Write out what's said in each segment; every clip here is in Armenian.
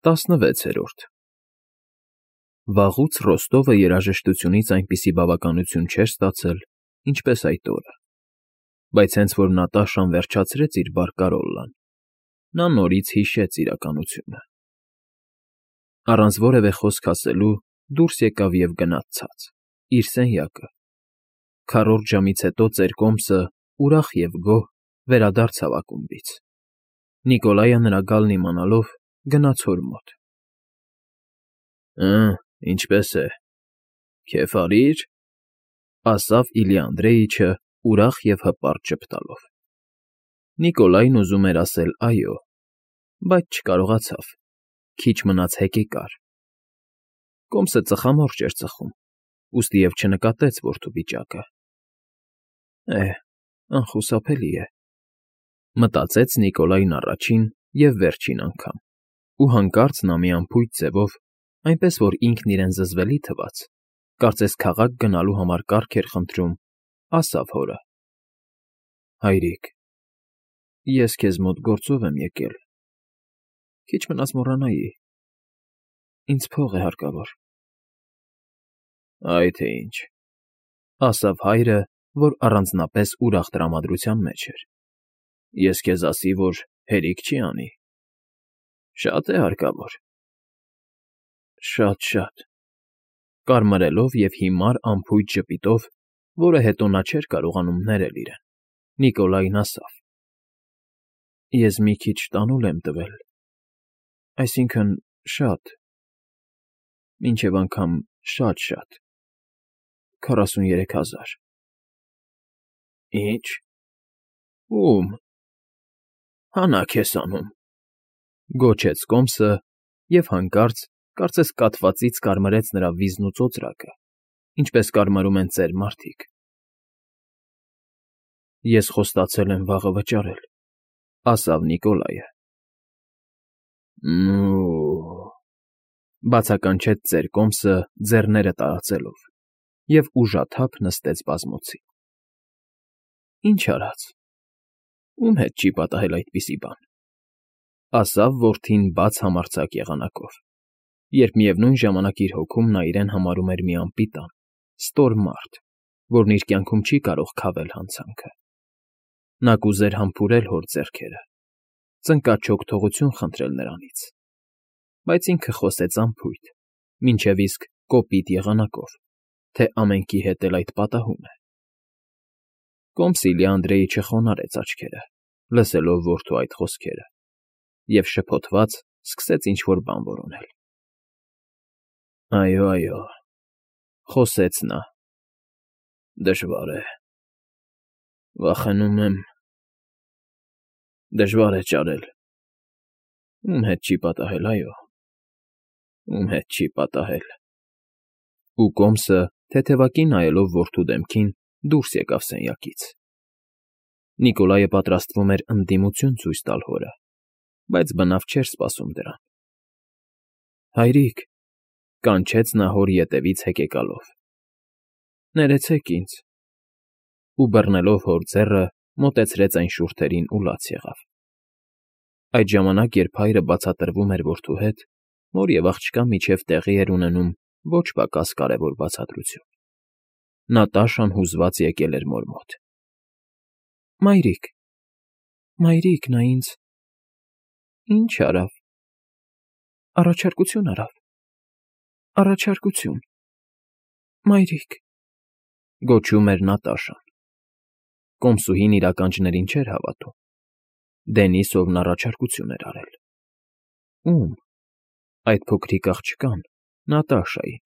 16-րդ Վաղուց Ռոստովը երաժշտությունից այնպիսի բավականություն չէր ստացել, ինչպես այդ օրը, բայց հենց որ Նատաշան վերջացրեց իր բարկարոլլան, նա նորից հիշեց իրականությունը. առանց որևէ խոսք ասելու դուրս եկավ և գնաց ցած, իր սենյակը, քառորդ ժամից հետո ծեր կոմսը, ուրախ և գոհ, վերադարձավ ակումբից, Նիկոլայը նրա գալն իմանալով գնաց հոր մոտ։ Ինչպե՞ս է, քեֆ արի՞ր,֊ ասավ Իլյա Անդրեիչը ուրախ և հպարտ ժպտալով։ Նիկոլայն ուզում էր ասել այո, բայց չկարողացավ, քիչ մնաց հեկեկար։ Կոմսը ծխամորճ էր ծխում, ուստի և չնկատեց որդու վիճակը։ Անխուսափելի է,֊ մտածեց Նիկոլայն առաջին և վերջին անգամ, ու հանկարծ նա մի անփույթ ձևով, այնպես որ ինքն իրեն զզվելի թվաց, կարծես քաղաք գնալու համար կառք էր խնդրում, ասավ հորը. «Հայրիկ, ես քեզ մոտ գործով եմ եկել, քիչ մնաց մոռանայի, ինձ փող է հարկավոր»։ «Այ թե ինչ,֊ ասավ հայրը, որ առանձնապես ուրախ տրամադրության մեջ էր,֊ ես քեզ ասի, որ հերիք չի անի, շա՞տ է հարկավոր»։ Շատ, կարմրելով և հիմար անփույթ ժպիտով, որը հետո նա չէր կարողանում ներել իրեն, Նիկոլայն ասավ. «Ես մի քիչ տանուլ եմ տվել, այսինքն՝ շատ, մինչև անգամ շատ, 43,000»։ Ի՞նչ, ո՞ւմ, հանա քեզ անում,֊ գոչեց կոմսը և հանկարծ, կարծես կաթվածից կարմրեց նրա վիզն ու ծոծրակը, ինչպես կարմրում են ծեր մարդիկ։ «Ես խոստացել եմ վաղը վճարել,֊ ասավ Նիկոլայը։ Նու…֊ բացականչեց ծեր կոմսը ձեռները տարածելով և ուժաթափ նստեց բազմոցին։ «Ինչ արած, ում հետ չի պատահել այդպիսի բան,֊ ասավ որդին բաց համարձակ եղանակով, երբ միևնույն ժամանակ իր հոգում նա իրեն համարում էր մի անպիտան, ստոր մարդ, որն իր կյանքում չի կարող քավել հանցանքը։ Նա կուզեր համբուրել հոր ձեռքերը, ծնկաչոք թողություն խնդրել նրանից, բայց ինքը խոսեց անփույթ, մինչև իսկ կոպիտ եղանակով, թե ամենքի հետ էլ այդ պատահում է։ Կոմս Իլյա Անդրեիչը խոնարհեց աչքերը, լսելով որդու այդ խոսքերը, և շփոթված սկսեց ինչ֊որ բան որոնել։ Այո,֊ խոսեց նա,֊ դժվար է, վախենում եմ, դժվար է ճարել, ում հետ չի պատահել, այո, ում հետ չի պատահել…»։ Ու կոմսը, թեթևակի նայելով որդու դեմքին, դուրս եկավ սենյակից։ Նիկոլայը պատրաստվում էր ընդդիմություն ցույց տալ հորը, բայց բնավ չէր սպասում դրան։ «Հայրիկ,֊ կանչեց նա հոր ետևից հեկեկալով,֊ ներեցեք ինձ…» ու բռնելով հոր ձեռը, մոտեցրեց այն շուրթերին ու լաց եղավ։ Այդ ժամանակ, երբ հայրը բացատրվում էր որդու հետ, մոր և աղջկա միջև տեղի էր ունենում ոչ պակաս կարևոր բացատրություն։ Նատաշան հուզված եկել էր մոր մոտ։ Մայրիկ, նա ինձ… Ինչ արավ… առաջարկություն արավ… առաջարկություն… Մայրիկ…֊ գոչում էր Նատաշան։ Կոմսուհին իր ականջներին չէր հավատում։ Դենիսովն առաջարկություն էր արել… Ո՞ւմ… Այդ փոքրիկ աղջկան, Նատաշային,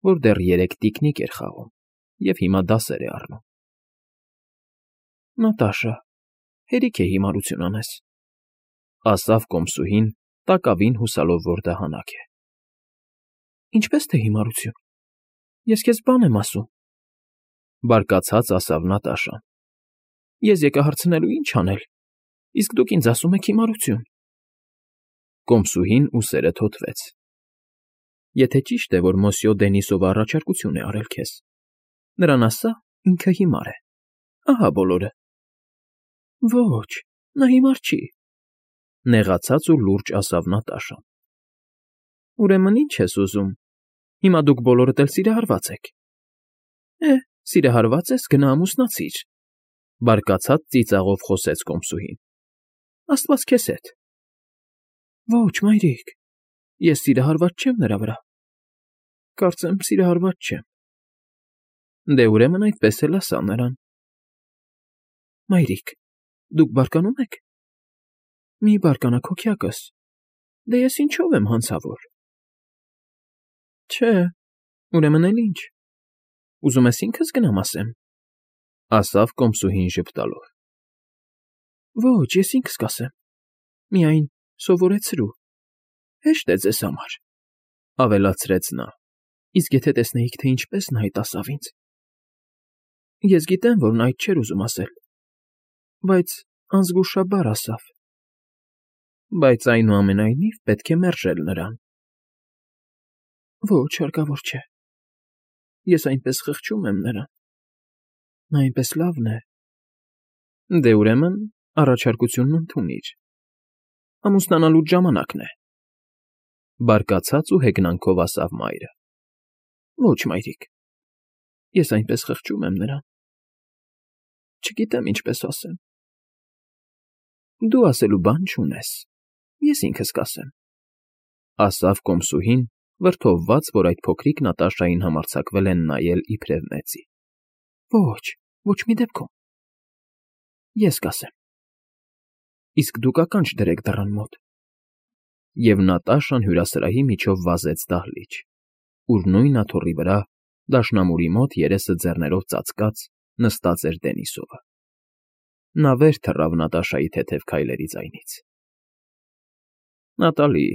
որ դեռ 3 տիկնիկ էր խաղում և հիմա դասեր է առնում։ Նատաշա, հերիք է հիմարություն անես,֊ ասավ կոմսուհին, տակավին հուսալով, որ դա հանաք է։ Ինչպե՞ս թե հիմարություն… Ես քեզ բան եմ ասում,֊ բարկացած ասավ Նատաշան։ Ես եկա հարցնելու՝ ինչ անել, իսկ դուք ինձ ասում եք հիմարություն… Կոմսուհին ուսերը թոթվեց։ Եթե ճիշտ է, որ մոսյո Դենիսովը առաջարկություն է արել քեզ, նրան ասա՝ ինքը հիմար է, ահա բոլորը։ Ոչ, նա հիմար չի,֊ նեղացած ու լուրջ ասավ Նատաշան։ Ուրեմն ինչ ես ուզում։ Հիմա դուք բոլորդ էլ սիրահարված եք։ Սիրահարված ես, գնա ամուսնացիր, բարկացած ծիծաղով խոսեց կոմսուհին։ Աստված քեզ հետ։ Ոչ, մայրիկ, ես սիրահարված չեմ նրա վրա։ Կարծեմ սիրահարված չեմ։ Դե ուրեմն այդպես էլ ասա նրան։ Մայրիկ, դուք բարկանում եք։ Մի բարկանա քոքյակս։ Դե ես ինչով եմ հանցավոր։ Չէ, ուրեմն էլ ինչ։ Ուզում ես ինքս գնամ ասեմ, ասավ կոմսուհին ժպտալով։ Ոչ, ես ինքս կասեմ։ Միայն սովորեցրու։ Հեշտ է ձեզ համար, ավելացրեց նա, իսկ եթե տեսնեիք, թե ինչպես նա այդ ասավ ինձ։ Ես գիտեմ, որ նա այդ չէր ուզում ասել, բայց անզգուշաբար ասավ։ Բայց այնուամենայնիվ պետք է մերժել նրան։ Ոչ, հարկավոր չէ։ Ես այնպես խղճում եմ նրան։ Նա այնպես լավն է։ Դե ուրեմն առաջարկությունն ընդունիր։ Ամուսնանալու ժամանակն է։ Բարկացած ու հեգնանքով ասավ մայրը։ Ոչ, մայրիկ, ես այնպես խղճում եմ նրան։ Չգիտեմ ինչպես ասեմ։ Դու ասելու բան չունես, ես ինքս կասեմ, ասավ կոմսուհին, վրդովված, որ այդ փոքրիկ Նատաշային համարձակվել են նայել իբրև մեծի։ Ոչ, ոչ մի դեպքում։ Ես կասեմ։ Իսկ դուք ականջ դրեք դռան մոտ։ Եվ Նատաշան հյուրասրահի միջով վազեց դահլիճ, ուր նույն աթոռի վրա, դաշնամուրի մոտ երեսը ձեռներով ծածկած, նստած էր Դենիսովը։ Նա վեր թռավ Նատաշայի թեթև քայլերի ձայնից։ Նատալի,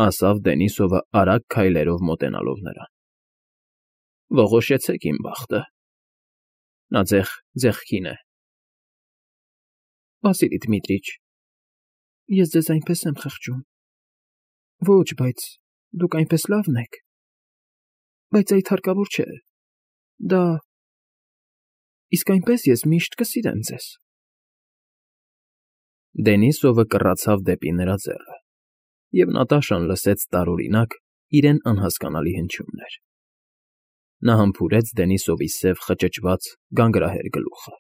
ասավ Դենիսովը արագ քայլերով մոտենալով նրան։ Ողոշեցեք իմ բախտը։ Նա ձեղքին է։ Վասիլի Դմիտրիչ, ես ձեզ այնպես եմ խղճում։ Ոչ, բայց դուք այնպես լավն եք։ Բայց այդ հարկավոր չէ։ Դա… Իսկ այնպես ես միշտ կսիրեմ ձեզ։ Դենիսովը կռացավ դեպի նրա ձեռը, և Նատաշան լսեց տարօրինակ, իրեն անհասկանալի հնչյուններ։ Նա համբուրեց Դենիսովի սև խճճված, գանգրահեր գլուխը։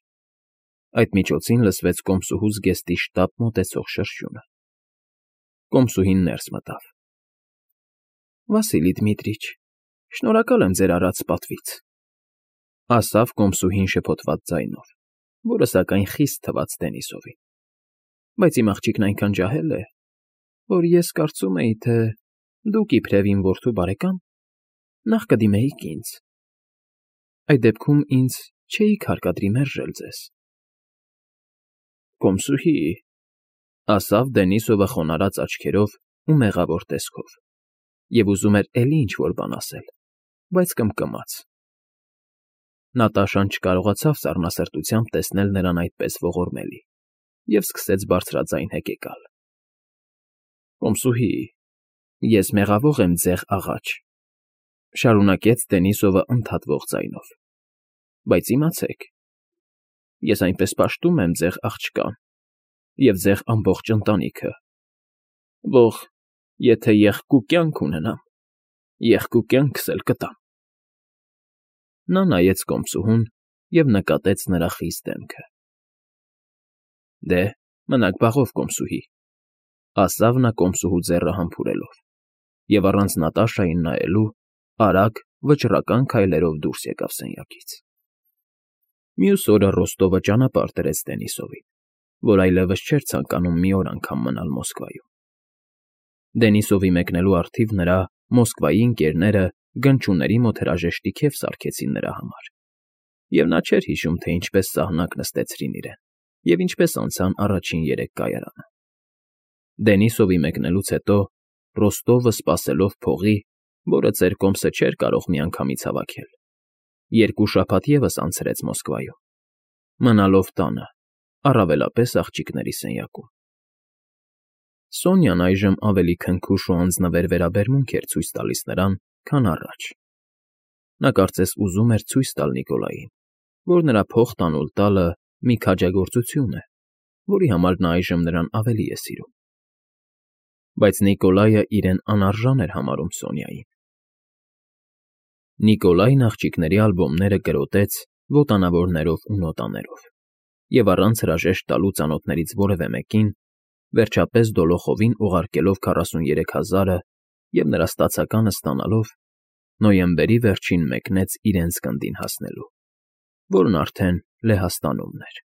Այդ միջոցին լսվեց կոմսուհու զգեստի շտապ մոտեցող շրշյունը։ Կոմսուհին ներս մտավ։ Վասիլի Դմիտրիչ, շնորհակալ եմ ձեր արած պատվից, ասավ կոմսուհին շփոթված ձայնով, որը սակայն խիստ թվաց Դենիսովին։ Բայց իմ աղջիկն այնքան ջահել է, որ ես կարծում էի, թե դուք իբրև իմ որդու բարեկամ նախ կդիմեիք ինձ։ Այդ դեպքում ինձ չէիք հարկադրի մերժել ձեզ։ Կոմսուհի, ասավ Դենիսովը խոնարհած աչքերով ու մեղավոր տեսքով, և ուզում էր էլի ինչ֊որ բան ասել, բայց կմկմաց։ Նատաշան չկարողացավ սառնասրտությամբ տեսնել նրան այդպես ողորմելի և սկսեց բարձրաձայն հեկեկալ։ Կոմսուհի, ես մեղավող եմ ձեղ աղաչ, շարունակեց Դենիսովը ընդհատվող ձայնով, բայց իմացեք, ես այնպես պաշտում եմ ձեղ աղջկան և ձեղ ամբողջ ընտանիքը, որ եթե եղկու կյանք ունենամ, եղկու կյանքս էլ կտամ։ Նա նայեց կոմսուհուն և նկատեց նրա խիստ դեմքը։ Դե, մնաք բաղով, կոմսուհի, ասավ նա կոմսուհու ձեռը համբուրելով, և առանց Նատաշային նայելու արագ, վճռական քայլերով դուրս եկավ սենյակից։ Մյուս օրը Ռոստովը ճանապարհ դրեց Դենիսովին, որ այլևս չէր ցանկանում մի օր անգամ մնալ Մոսկվայում։ Դենիսովի մեկնելու առթիվ նրա Մոսկվայի ընկերները գնչուների մոտ հրաժեշտի քեֆ սարքեցին նրա համար, և նա չէր հիշում, թե ինչպես սահնակ նստեցրին իրեն, և ինչպես անցան առաջին 3 կայարանը։ Դենիսովի մեկնելուց հետո Ռոստովը, սպասելով փողի, որը ծեր կոմսը չէր կարող միանգամից հավաքել, 2 շաբաթ ևս անցրեց Մոսկվայում, մնալով տանը, առավելապես աղջիկների սենյակում։ Սոնյան այժմ ավելի քնքուշ ու անձնվեր վերաբերմունք էր ցույց տալիս նրան, քան առաջ։ Նա կարծես ուզում էր ցույց տալ Նիկոլային, որ նրա փող տանուլ տալը մի քաջագործություն է, որի համար նա այժմ նրան ավելի է սիրում։ բայց Նիկոլայը իրեն անարժան էր համարում Սոնյային։ Նիկոլայն աղջիկների ալբոմները կրոտեց ոտանավորներով ու նոտաներով և առանց հրաժեշտ տալու ծանոթներից որևէ մեկին, վերջապես դոլոխովին ուղարկելով 43,000-ը և նրա ստացականը ստանալով, նոյեմբերի վերջին մեկնեց իրենց գնդին հասնելու, որն արդեն լեհաստանումն էր։